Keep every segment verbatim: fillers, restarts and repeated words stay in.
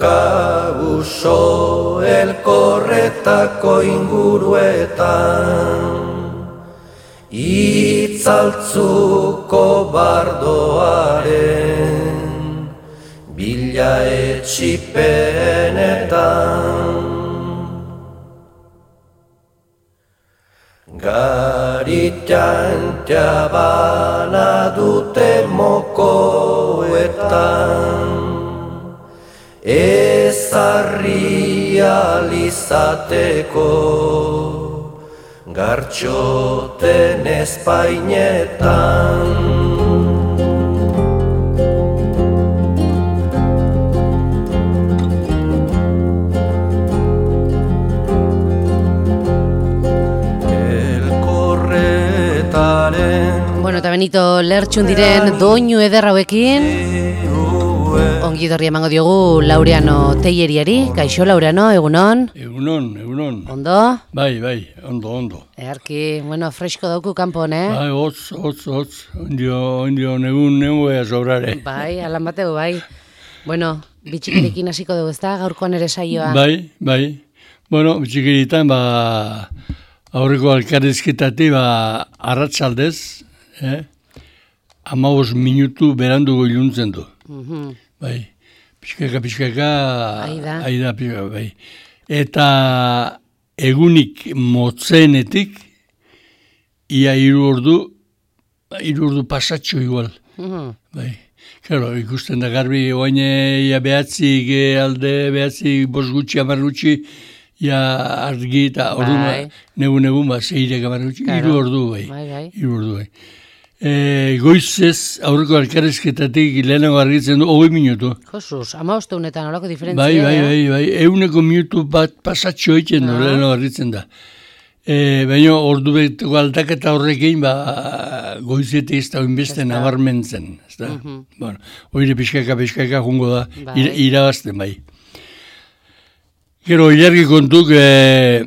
Kauso elkorretako inguruetan, itzaltzuko bardoaren bila etxipenetan. Garitan jabana dute mokoetan, ezarri alizateko gartxoten espainetan. Bueno, eta Benito lertxun diren doinu eder hauekin ongi dorri emango diogu Laureano Teieriari. Kaixo Laureano, egunon? Egunon, egunon. Ondo? Bai, bai, ondo, ondo. Earki, bueno, fresko dauku kanpon, eh? Bai, hotz, hotz, hotz, ondio, ondio, negun, negun ea sobrare. Bai, alan bateu, bai. Bueno, bitxikirikin hasiko dugu, ezta? Gaurkoan ere saioa. Bai, bai. Bueno, bitxikiritan, ba, aurreko alkarrizketati, ba, arratsaldez, eh? Amabos minutu berandugo iluntzen du. Mhm. Bai, pixkaka, pixkaka, Aida. aida, pixkaka, bai. Eta egunik motzenetik, ia hiru ordu, hiru ordu pasatxo igual. Mhm. Bai, claro, ikusten da garbi, oain ia behatzi, alde behatzi, bos gutxi, amar gutxi, ia argi eta ordu, Bai. negun egun, ba, zeirek amar gutxi, Claro. hiru ordu, bai. Bai, bai. Hiru ordu, bai. E, goizez, aurreko alkarrizketatik lehenago argitzen du, hogei minutu. Josuz, ama osteunetan olako diferentzia. Bai, bai, eh? bai, bai, euneko minutu bat pasatxo egiten du, Ah. lehenago argitzen da. E, baina ordu beteko aldaketa horrekin, ba, goizetik ez da oinbeste Ez da. nabarmentzen. Ez da? Mhm. Bueno, oire pixkaka, pixkaka jungo da, Bai. ira, irabazten bai. Gero, ilargi kontuk, e,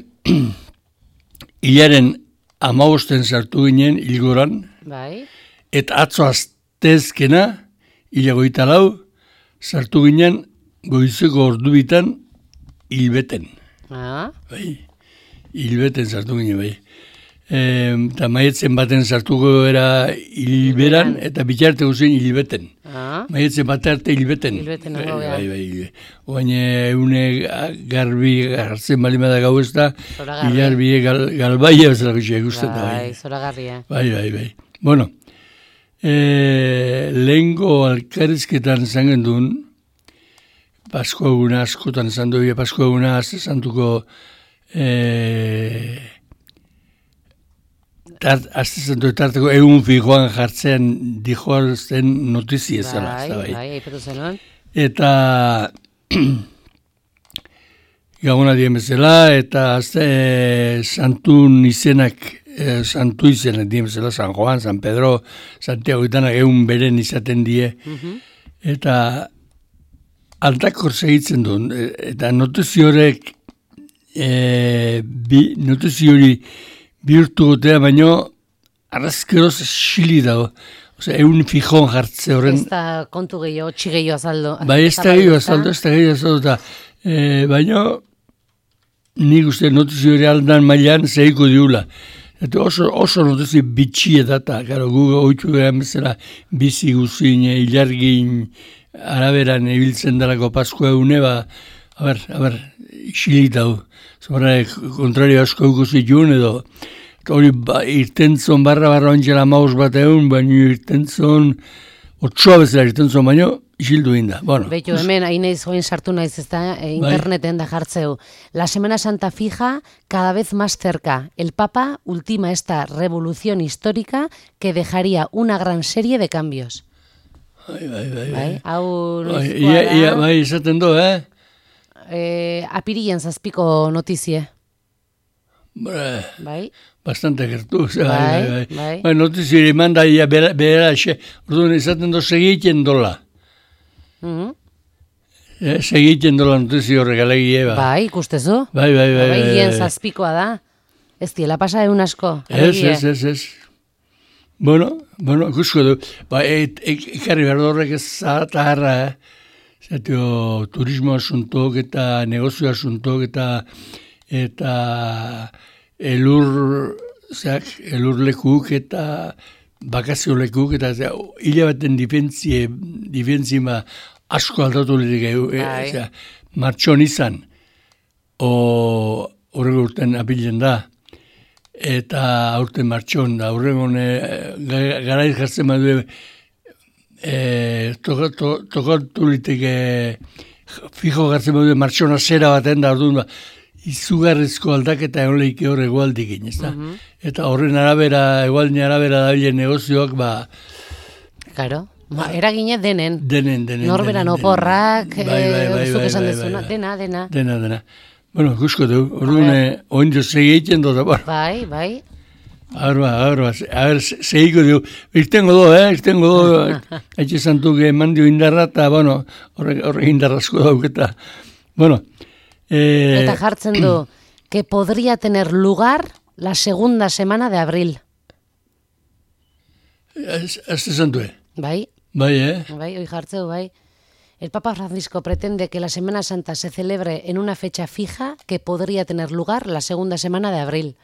hilaren amabosten sartu ginen hilgoran, Bai. eta atzo aztezkena, hilagoita lau, sartu ginen goizeko ordu bitan hilbeten. Ah, Bai, hilbeten sartu ginen, bai. E, eta maietzen baten sartuko era hilberan, eta bitarte guzen hilbeten. ah. Maietzen bat arte hilbeten. Hilbeten bai, nago, bai, bai. Oain eune garbi hartzen balimada gau ez da, Zoragarri. hilarbie gal, galbaia bezala gutxia ikusten da. Bai, Bai, zoragarria. bai, bai. bai. Bueno, e, lehengo alkarrizketan izan gendun, Pasko eguna askotan izan du, Pasko eguna azte santuko e, tart, azte santu tarteko egun fijoan jartzean dijoazten notizi ezala. Bai, ez da, bai, aipatu zenuen. Eta gabona dien bezala, eta azte e, santun izenak, e, santu izenak dien bezala, San Juan, San Pedro, Santiago itanak egun beren izaten die. Mhm. Eta aldakor segitzen du, eta notizio horrek, e, bi, notizio hori bihurtu gotea, baino arrazkeroz xili dago. Osea, egun fijon jartze horren. Ez da kontu gehiago, txi gehiago azaldu. Bai, ez da gehiago azaldu, ez da gehiago azaldu, eta e, baino nik uste notizio hori aldan mailan zehiko diula. Eta oso, oso notizio bitxie data, gara, gu oitu gehan bezala bizi guzin, ilargin, araberan ibiltzen darako Paskoa egune, ba, a ber, a ber, xilit hau. Zora, kontrario asko ikusi jun edo, eta hori ba, irtentzon barra barra ontxela maus bat egun, baina irtentzon, otsoa bezala irtentzon, baina isildu inda. Bueno, Beitu, hemen, hain naiz join sartu naiz, ez da, e, interneten da jartzeu. La Semana Santa fija cada vez más cerca. El Papa ultima esta revolución histórica que dejaría una gran serie de cambios. bai, bai, bai. Bai, hau Bai, noizkoa ia, ia, da, bai, izaten du, eh? eh, apirilen zazpiko notizie. Bra, Bai, bastante gertu, bai, Bai, bai, bai. bai. Bai, notizio eman da, ia, bera, bera, xe, orduan izaten du segiten dola. mhm. Eh, segiten dola notizio horrek alegie, ba. Bai, ikustezu. Bai, bai, bai. Bai, bai, hien bai. zazpikoa da. Ez diela pasa egun asko. Ez, alegie. ez, ez, ez. Bueno, bueno, ikusko du. Ba, et, ek, ekarri behar horrek ez zataharra, eh? Zatio, turismo asuntok eta negozio asuntok eta eta elur, zeak, elur lekuk eta bakazio lekuk eta hile baten difentzie, difentzima asko aldatu lirik, e, martxon izan, o horrego urten apilen da, eta aurten martxon da, horrego garaiz jartzen badu, E, tokatu to, to, liteke fijo gartzen badu martxona zera baten da orduan izugarrizko aldaketa egon lehike hor egualdikin, ez da? Mm-hmm. Eta horren arabera, egualdin arabera dabilen negozioak, ba... Claro, ba, eragine denen. Denen, denen. Norberan denen, oporrak, bai, bai, bai, zuk bai, esan bai, dezuna, bai, dena, dena. Dena, dena. Bueno, gusko du, orduan, oin jo segi egiten dut, bar. Bai, bai. Arba, arba, a ver, segiko diu, irtengo do, eh, irtengo do, haitxe santuk eman dio indarra, eta, bueno, horre, horre indarrazko dauketa. Bueno. Eh, eta jartzen du, que podría tener lugar la segunda semana de abril. Azte santue. Bai. Bai, eh? Bai, hoi jartzeu, bai. El Papa Francisco pretende que la Semana Santa se celebre en una fecha fija que podría tener lugar la segunda semana de abril.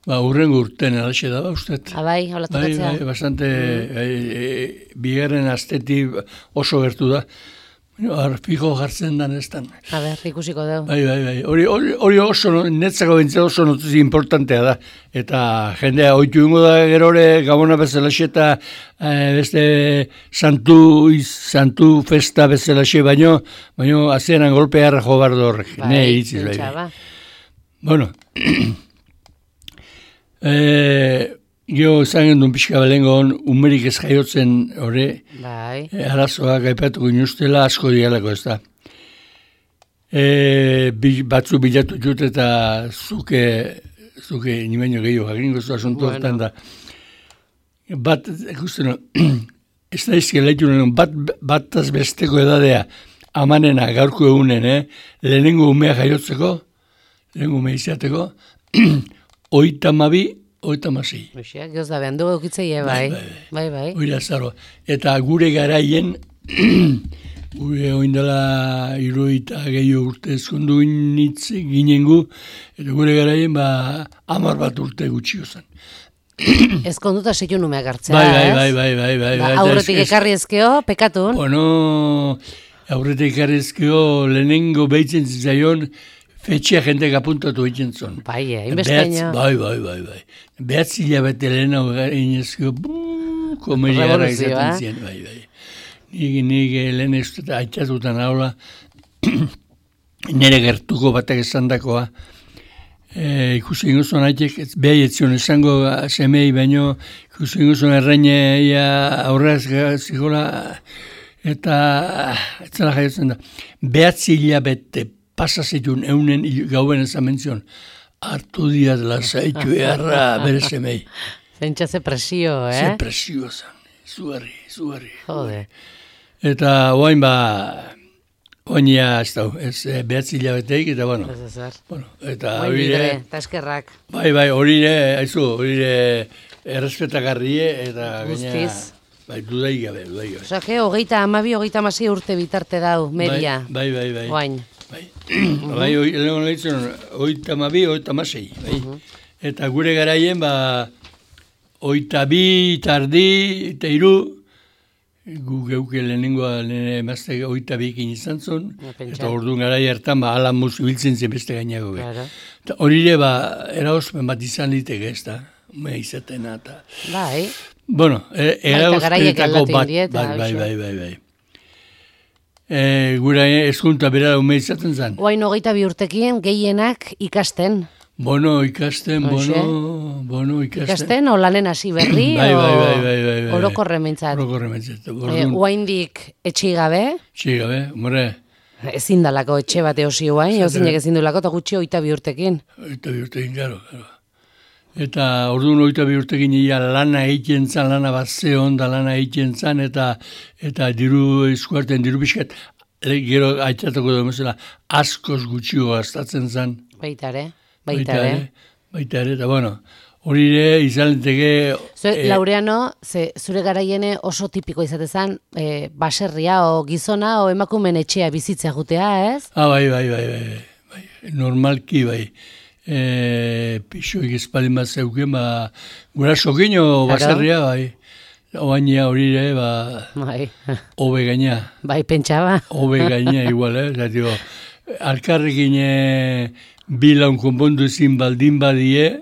Ba, urrengo urten alaxe da, uste. Ah, bai, hola tokatzea. Bai, bai, bastante, mm. e, e, bigarren astetik oso gertu da. Har, fijo jartzen dan ez dan. A ber, ikusiko dugu. Bai, bai, bai. Hori, hori, hori oso, netzako bentzea oso notuzi importantea da. Eta jendea, oitu ingo da gerore, gabona bezalaxe eta e, beste santu, santu festa bezalaxe, baino, baino azeran golpearra jo bardo horrek. Bai, ne, itziz, bai, bai. Bueno, E, Gio esan gendun pixka belengon, umerik ez jaiotzen hori, bai. e, arazoak aipatuko inustela asko dialako ez da. E, batzu bilatu jut eta zuke, zuke nimeño gehiago, jakingo zu asuntu hortan da. Bat, ikusten, ez da izke lehitu nuen, bat, bataz besteko edadea, amanena gaurko egunen, eh? Lehenengo umea jaiotzeko, lehenengo umea izateko, oita mabi, oita masei. Oixiak, gehoz da behan dugu eukitzeie, bai. Bai, bai. Oira zaro. Eta gure garaien, gure oindela iruita gehiago urte ezkondu initz ginengu, eta gure garaien, ba, amar bat urte gutxio zen. Ezkonduta zeitu numeak hartzea, bai, bai, bai, bai, bai, bai, bai. Aurretik ekarri ezkeo, pekatun. Bueno, aurretik ekarri ezkeo, lehenengo behitzen zizaion, fetxea jentek apuntatu egiten zon. Bai, inbesteina. Bai, bai, bai, bai. Behatzi hilabete lehena inezko, buuu, komediara izaten ziren, bai, bai. Nik, nik lehen ez dut aitzatutan haula, nire gertuko batak esan dakoa, e, ikusi ingozun haitek, beha etzion esango semei, baino ikusi ingozun erraineia aurraz zikola, eta etzela jaiotzen da. Behatzi hilabete pasa zituen eunen gauen ezan mentzion, hartu diat lasaitu eharra bere semei. Zentsa ze presio, eh? Ze presio zan, zugarri, zugarri. Jode. Eta oain ba, oain ja ez dau, ez behatzi hilabeteik, eta bueno. Ez ezer. Bueno, eta oain hori bidre, eta eskerrak. Bai, bai, hori ne, haizu, hori ne, errespetagarrie, eta gaina... Bai, dudai gabe, dudai gabe. Osa, que, hogeita amabi, hogeita amasei urte bitarte dau, media. Bai, bai, bai. Oain. Bai, bai, lehenko lehitzen, oita mabi, oita masei, bai. Eta gure garaien, ba, oita bi, tardi, eta iru, gu geuke lehenengoa, lehen emazte oita bikin izan zon, eta orduan garai hartan, ba, ala musu biltzen zen beste gainago. Claro. Eta hori ere, ba, eraospen bat izan liteke ez da, mea izatena, eta... Bai. Bueno, eraospenetako bat, bai, bai, bai, bai, bai. E, gura eskunta bera ume izaten zen. Oain hogeita bi urtekien gehienak ikasten. Bono ikasten, bono, bono ikasten. Ikasten, o lanen hasi berri, bai, bai, bai, bai, bai, bai. orokorre mentzat. Orokorre mentzat. E, oaindik etxigabe. Etxigabe, more. Ezin dalako etxe bate osi oain, ozinek ezin dulako, eta gutxi oita bi urtekin. Oita bi urtekin, garo, garo. Eta orduan oita bi urtekin ia lana egiten zan, lana bat zehon da lana egiten zan, eta eta diru eskuarten, diru pixkat, gero aitzatako dugu mesela, askoz gutxio gastatzen zan. Baitare, baitare. Baitare, eta bueno, hori ere izan liteke... Zure, eh, Laureano, ze, zure garaiene oso tipiko izatezan, eh, baserria o gizona o emakumen etxea bizitzea jutea, ez? Ah, bai, bai, bai, bai, bai. Normalki, bai. E, pixoik espalin bat zeuken, ba, gura sokino baserria, bai. Oaina hori ere, ba, bai. Obe gaina. Bai, pentsaba. Obe gaina, igual, eh? Zatio, alkarrekin e, bilaun konpondu ezin baldin badie,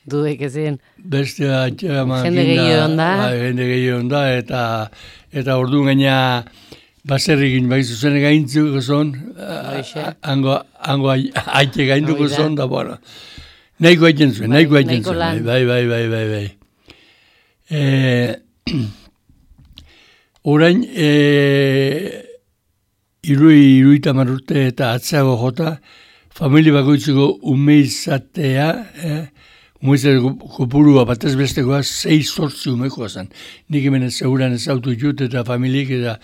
Dudek ezin. Beste atxama... Jende gehiago onda. Ba, jende gehiago onda, eta, eta orduan gaina baserrikin, bai zuzen gaintzuko zon, hango, hango aite gainduko zon, da, bueno, nahiko aiten zuen, nahiko aiten zuen, bai, bai, bai, bai, bai. E, orain, e, irui, irui tamarrute eta atzago jota, familia bakoitzeko ume izatea, eh, Umoizateko kopurua batez bestekoa sei sortzi umekoa zen. Nik hemen ez seguran ez autu jut eta familiek eta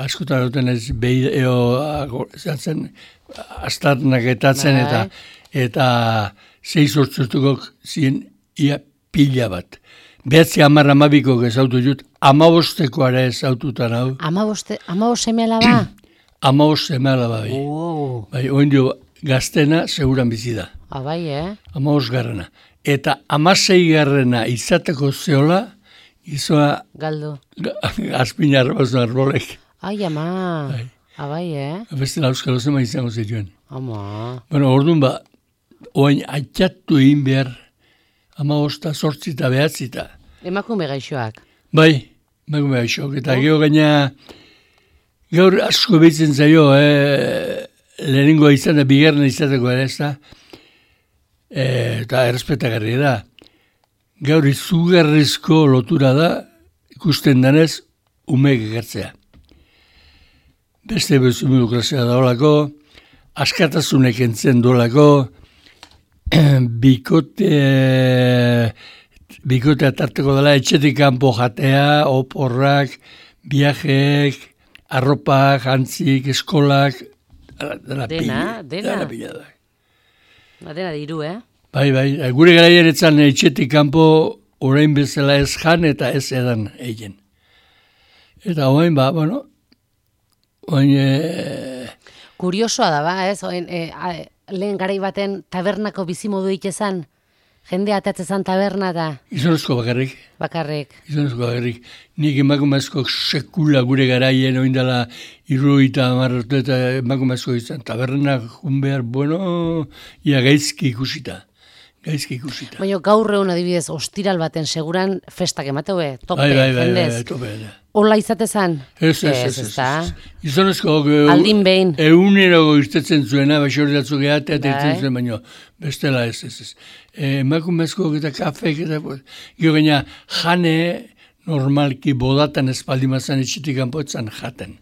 askotan duten ez behi eo zatzen astarnak etatzen eta eta sei sortzurtuko ziren ia pila bat. Behatzi hamar amabiko ez autu jut, amabostekoara ez aututan hau. Amaboste, amabost semeala ba? Amabost semeala ba, bai. Oh. Bai, oin dio gaztena seguran bizi da. Ah, bai, eh? Amabost garrana. Eta amasei garrena izateko zeola, izoa... Galdu. Azpina arrabazun arbolek. Ai, ama. Bai. Abai, eh? Beste lauskalo zema izango zituen. Ama. Bueno, orduan ba, oain atxatu egin behar, ama hosta sortzita behatzita. Emakume gaixoak. Bai, emakume gaixoak. Eta oh. Geho gaina, gaur asko behitzen zaio, eh, lehenengo izan da, bigarren izateko ere ez da, E, eta errespetagarri da. Gaur izugarrizko lotura da, ikusten danez, umeek egertzea. Beste bezumilukrazioa da olako, askatasunek entzen dolako, bikote, bikotea tarteko dela, etxetik kanpo jatea, oporrak, viajeek, arropak, antzik, eskolak, dela dena, pila. Dena, pila da. Dena diru, eh? Bai, bai, gure garaien etzan etxetik kanpo orain bezala ez jan eta ez edan egin. Eta orain, ba, bueno, orain... E... Kuriosoa da, ba, ez? Oin, e, a, lehen garai baten tabernako bizimodu itezan, jende atatzezan taberna da. Gizonezko bakarrik. Bakarrik. Gizonezko bakarrik. Nik emakumezko sekula gure garaien oin dela irruita marrotu eta emakumezko izan. Taberna jun behar, bueno, ia gaizki ikusita. Gaizki ikusita. Baina gaur egun adibidez, ostiral baten seguran festak emateue, tope, bai, bai, bai, jendez. Bai, tope, bai. Ola izatezan? Ez, ez, ez, ez, ez. Gizonezko... Aldin behin. Eunerago irtetzen zuena, baixori datzu gehatea, eta irtetzen zuen, baina bestela ez, ez, ez. Emakumezko eta kafek, eta... Gio gaina, jane normalki bodatan espaldimazan etxetik kanpoetzan jaten.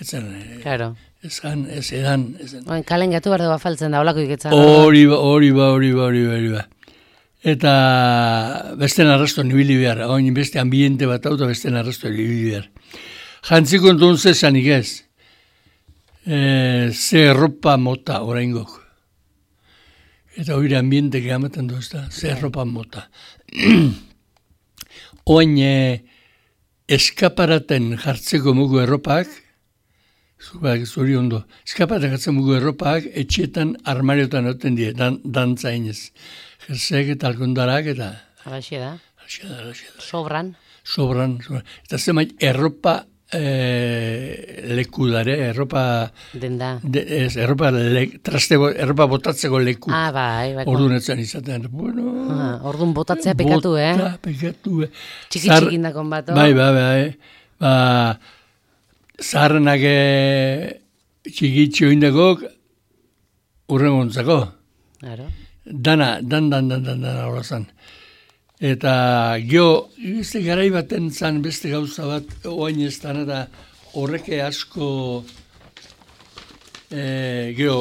Etzen... Claro. Ez jan, ez edan. Oen, kalen gatu behar dugu afaltzen da, olako iketzen. Hori ba, hori ba, hori ba, hori ba, hori ba. Eta beste narrasto nibili behar, oin beste ambiente bat hau eta beste narrasto nibili behar. Jantziko entun zezanik ez, e, ze erropa mota oraingok. Eta hori ambiente gamaten du ez da, ze erropa mota. Oin e, eskaparaten jartzeko mugu erropak, zuri ondo, eskaparaten jartzen mugu erropak, etxetan armariotan oten die, dan, dantzainez. Jersek eta alkondarak eta... Alaxia da. Alaxia da, alaxia da. Sobran. Sobran, sobran. Eta zemait, erropa e, leku dare, erropa... Denda. De, ez, erropa, le, trastego, erropa botatzeko leku. Ah, bai, bai. Orduan etzen izaten. Bueno... Ah, orduan botatzea pekatu, eh? Bota, pekatu, eh? Txiki-txikindakon bat, oh? Bai, bai, bai. Ba, zaharrenak txikitxo indakok urrengontzako. Claro. Dana, dan, dan, dan, dan, dan, hola zan. Eta gio, beste garai baten zan beste gauza bat, oain ez dan, eta horreke asko, e, gio,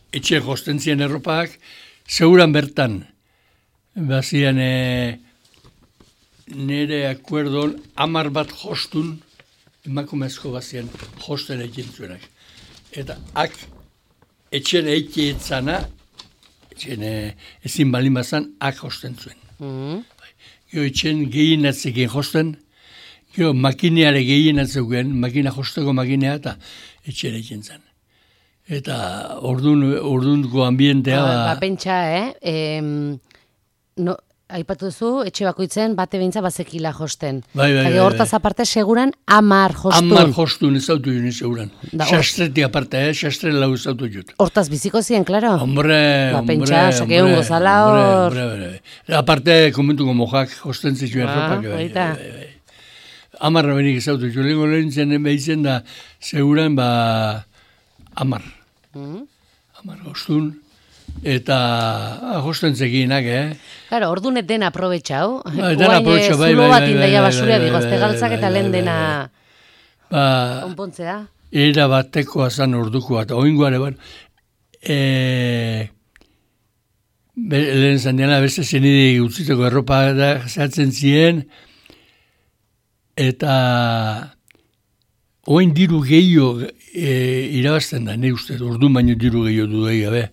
etxe jostentzien erropak, seguran bertan, bazian, e, nire akuerdon, amar bat jostun, emakumezko bazian, josten egin zuenak. Eta ak, etxen eike etzana, ezin balin bazan, ak josten zuen. Mm. Gero etxen gehienatzekin josten, gero makineare gehienatzeuen, makina josteko makinea eta etxen egin zen. Eta ordun, ordunko ambientea... Ba, ba pentsa, eh? E, no, aipatu duzu, etxe bakoitzen bate behintza bazekila josten. Bai, bai, bai. Hortaz aparte, seguran amar jostun. Amar jostun ez autu juni seguran. Xastretik aparte, eh? Xastre lau ez autu jut. Hortaz biziko ziren, klaro? Hombre, ba, hombre, pentsa, hombre, hombre, gozala hor. Hombre, hombre. Aparte, komentuko mojak josten zituen ah, ropak. Bai, bai, bai. Amarra benik ez autu jut. Lengo lehen zen behitzen da, seguran, ba, amar. Mm. Amar jostun. Eta josten zekinak, eh? Claro, ordunet dena aprobetxau. Ba, dena aprobetxau, bai, bai, zulo bat bai, indaia bai, basuria bai, digozte bai, galtzak bai, eta bai, lehen bai, dena ba, onpontzea. Era batekoa zan orduko bat. Oingoare, bueno, e, be, lehen zan diana, beste zenide utziteko erropa da zehatzen ziren, eta oin diru gehiago e, irabazten da, ne uste, ordu baino diru gehiago du egia, be.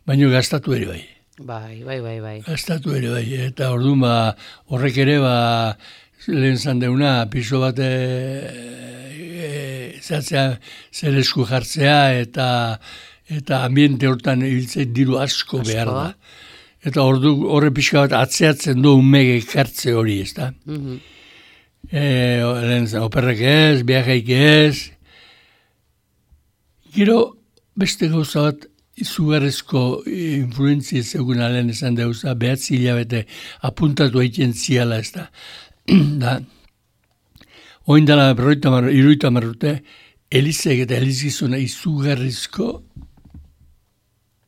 Baino gastatu ere bai. Bai, bai, bai, bai. Gastatu ere bai, eta ordu ba, horrek ere, ba, lehen zan deuna, piso bat e, e, zatzea, zer esku jartzea, eta eta ambiente hortan hiltzei diru asko, asko behar da. Eta ordu horre pixka bat atzeatzen du umege kartze hori, ez da? Mm-hmm. E, lehen zan, operrek ez, biajeik ez. Gero, beste gauza bat, izugarrezko influentzia zegoen alen esan deuza, behatzi hilabete apuntatu egiten ziala, ez da. da. Oin dala berroita mar, iruita marrute, elizek eta elizizuna izugarrizko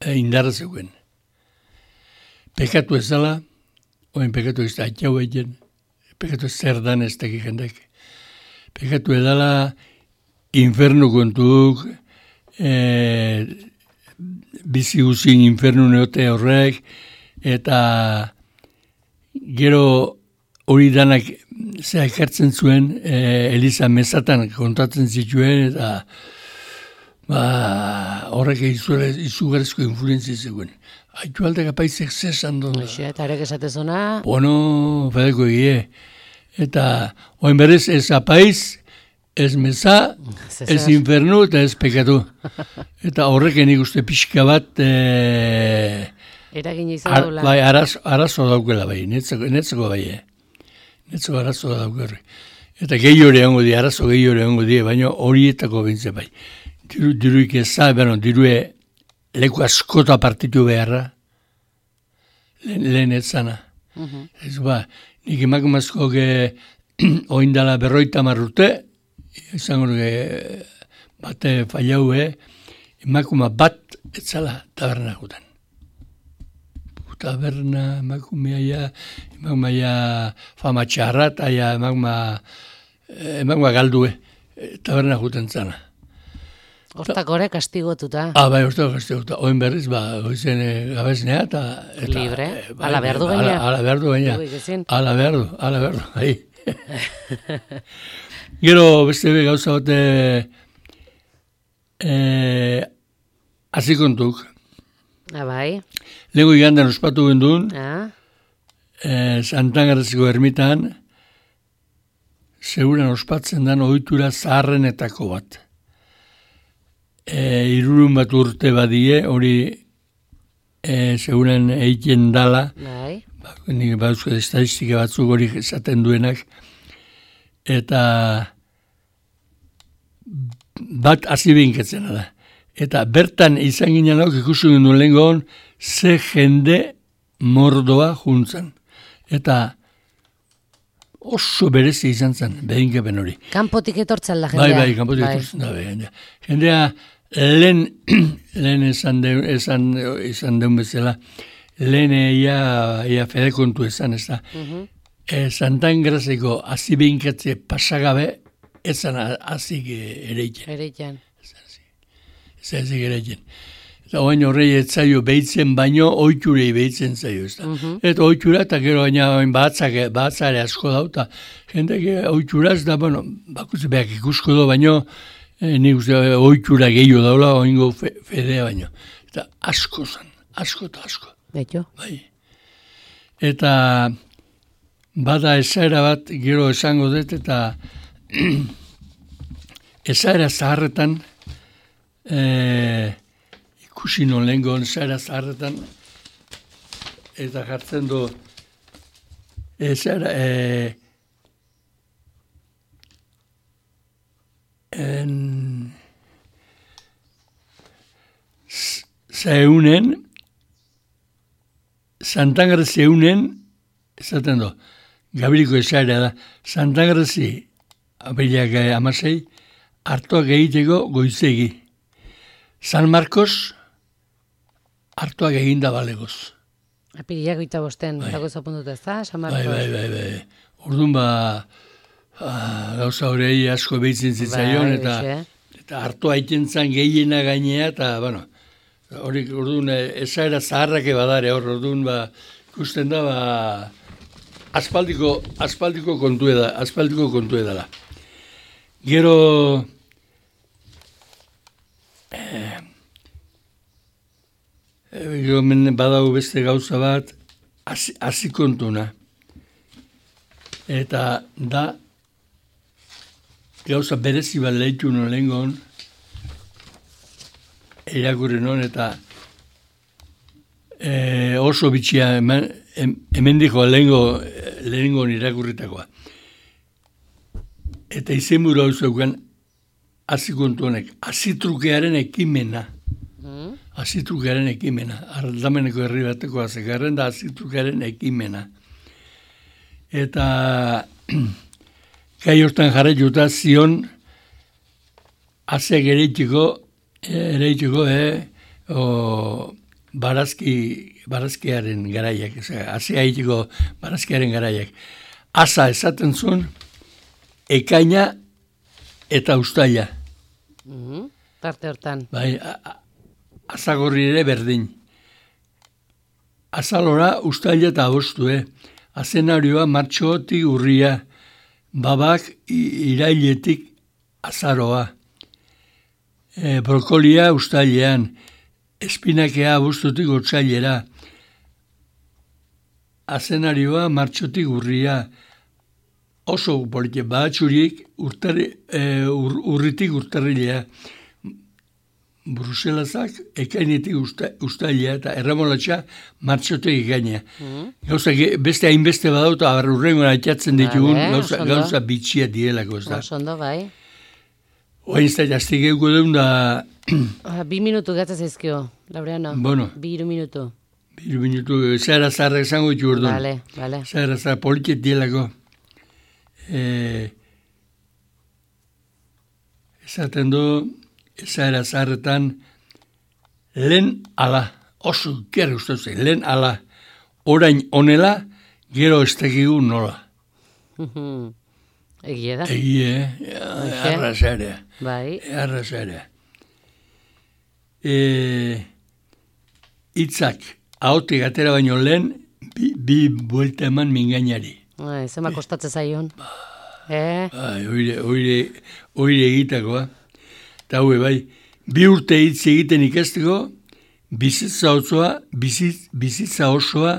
e, indarra zegoen. Pekatu ez dala, oin pekatu ez da atxau egin, pekatu ez zer dan ez dakik jendek. Pekatu ez dala, infernu kontuk, e, bizi guzin infernu neote horrek, eta gero hori danak zea ekartzen zuen, e, Eliza mezatan kontatzen zituen, eta ba, horrek izugarezko influenzia zegoen. Aitu aldek apaizek zesan doa. Eta horrek esatezona? Bueno, fedeko egie. Eta oin berez ez apaiz, ez meza, ez infernu eta ez pekatu. Eta horreken ikuste pixka bat... E, eragin izan daula. Bai, arazo, arazo daukela bai, netzeko, netzeko bai. Eh. Netzeko arazo daukela. Eta gehi hori egongo di, arazo gehi hori egongo di, baina horietako bintze bai. Diru, diruik eza, bueno, dirue leku askota partitu beharra, lehen, lehen etzana. Uh-huh. Ez ba, nik emakumazko ge oindala berroita marrute, izango dugu bate fallau, eh? Emakuma bat etzala taberna gutan. Taberna, emakumea ja, emakumea ja fama txarra, eta ja emakuma, emakuma galdu, eh? Taberna gutan zana. Hortak gore kastigotuta. Ah, bai, hortak kastigotuta. Oin berriz, ba, oizen e, gabeznea, eta... Libre, e, bai, ala behar du gaina. Ala behar du gaina. Ala behar du, ala behar du, ahi. Gero, beste be gauza bate, eh, azikontuk. Ah, bai. Lehenko igandan ospatu gendun, ah. eh, Santangaraziko ermitan, seguran ospatzen dan ohitura zaharrenetako bat. E, irurun bat urte badie, hori e, seguran egiten dala, bai. Ba, nik bauzko estadistika batzuk hori esaten duenak, eta bat azibinketzen da. Eta bertan izan ginen hau ikusten genuen lehenkoan, ze jende mordoa juntzan. Eta oso berezi izan zen, behinkepen hori. Kanpotik etortzen la jendea. Bai, bai, kanpotik bai. etortzen da, bai. Jendea, lehen, lehen esan, de, esan, esan deun bezala, lehen ia, ia fedekontu esan, ez da. Uh-huh. E, Santangrazeko azibeinkatze pasagabe, ezan azik ereiken. Ereiken. Ez azik ereiken. Eta oain horrei etzaio behitzen baino, oiturei behitzen zaio, ez da. Uh-huh. Eta oitura, eta gero baina batzak, batzare asko dau, eta jendek oituraz da, bueno, bakutze behak ikusko do, baino, eh, nik uste oitura gehiago daula, oingo fe, fedea baino. Eta asko zan, asko eta asko. Betxo. Bai. eta bada esaera bat gero esango dut, eta esaera zaharretan, e, ikusi non lehenko esaera zaharretan, eta jartzen du, esaera, e, en, zeunen, Santangarri zeunen, esaten du, Gabiriko esaera da, Santangarri apirilak amasei, hartuak egiteko goizegi. San Marcos, hartuak eginda balegoz. Apirilak goita bosten, bai. dago zapunduta ez da, San Marcos? Bai, bai, bai, bai. Orduan ba, gauza horrei asko behitzen zitzaion, bai, eta, bixe. eta hartu haiten zan gehiena gainea, eta, bueno, hori orduan esaera zaharrake badare, hor orduan ba, ikusten da, ba, aspaldiko, aspaldiko kontu eda, aspaldiko kontu edala. Gero, eh, gero badago beste gauza bat, hasi kontuna. Eta da, gauza berezi bat lehitu non lehengon, irakurri non, eta e, oso bitxia hemen, hemen diko lehengo, lehengon irakurritakoa. Eta izenburu hau zeukan, azikontu honek, azitrukearen ekimena. Mm. Azitrukearen ekimena. Aldameneko herri bateko azekarren da azitrukearen ekimena. Eta gai hortan jarraituta zion azeak ereitiko, ereitiko, eh, o, barazki, barazkiaren garaiak, azea egitiko barazkiaren garaiak. Asa esaten zuen, ekaina eta ustaila. Mm-hmm. Parte hortan. Bai, azagorri ere berdin. Azalora ustaila eta abostu, eh? Azenarioa martxotik urria, babak irailetik azaroa. E, brokolia ustailean, espinakea abuztutik otsailera. Azenarioa martxotik urria, oso polite, badatxurik urtari, e, ur, urritik urtarrilea. Bruselazak ekainetik usta, ustailea eta erramolatxa martxotek ekainea. Mm. Gauza, beste hainbeste badauta, urrengoan atxatzen ditugun, vale, gauza, gauza bitxia dielako, ez da. Osondo, bai. Oain ez da, jaztik euko deun da... Bi minutu gatzaz ezkio, Laureano. Bueno. Bi iru minutu. Bi iru minutu, zahara zaharra esango ditu orduan. Vale, vale. Zahara zaharra poliket dielako. E, esaten du... Ezaera zaharretan, lehen ala, oso gero uste zen, lehen ala, orain onela, gero ez tekigu nola. Egie da. Egie, arrazarea. Bai. Arrazarea. Itzak, ahotik atera baino lehen, bi, bi buelta eman mingainari. Bai, zema kostatze zaion. Eh? Bai, oire, oire, oire egitakoa. Eta hau bai, bi urte hitz egiten ikasteko, bizitza osoa, bizitz, bizitza osoa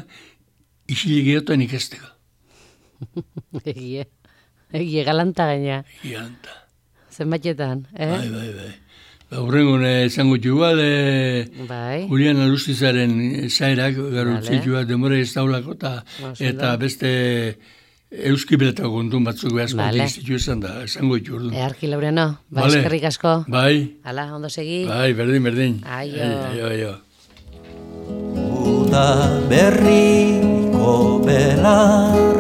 isilegeotan ikasteko. Egie, egie galanta gaina. Egie galanta. Zenbaitetan, eh? Bai, bai, bai. Horrengo esango txua, bai. Julian Alustizaren zairak, garo vale. txua, demora ez daulako, eta beste... Euski beletako kontun batzuk behazko vale. Dizitu esan da, esango ditu ordu. Earki, Laureano, bai, vale. Eskerrik asko. Bai. Hala, ondo segi. Bai, berdin, berdin. Aio. Aio, aio. Uda berriko belar,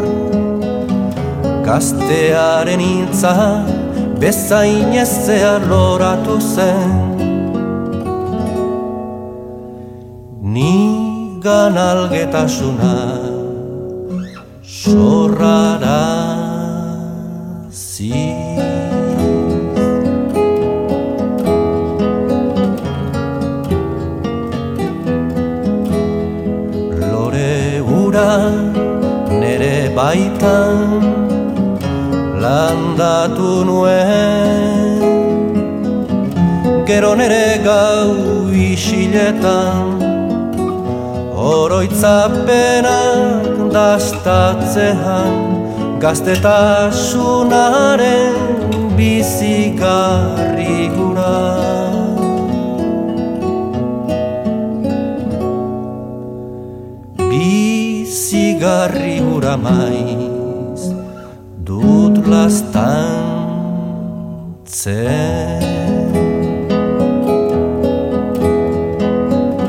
gaztearen intza, bezain ezea loratu zen. Nigan algetasuna, sorrara zi. Lore ura nere baitan landatu nuen, gero nere gau isiletan oroitzapenak dastatzean, gaztetasunaren bizigarri gura. Bizigarri gura maiz dut lastan zen.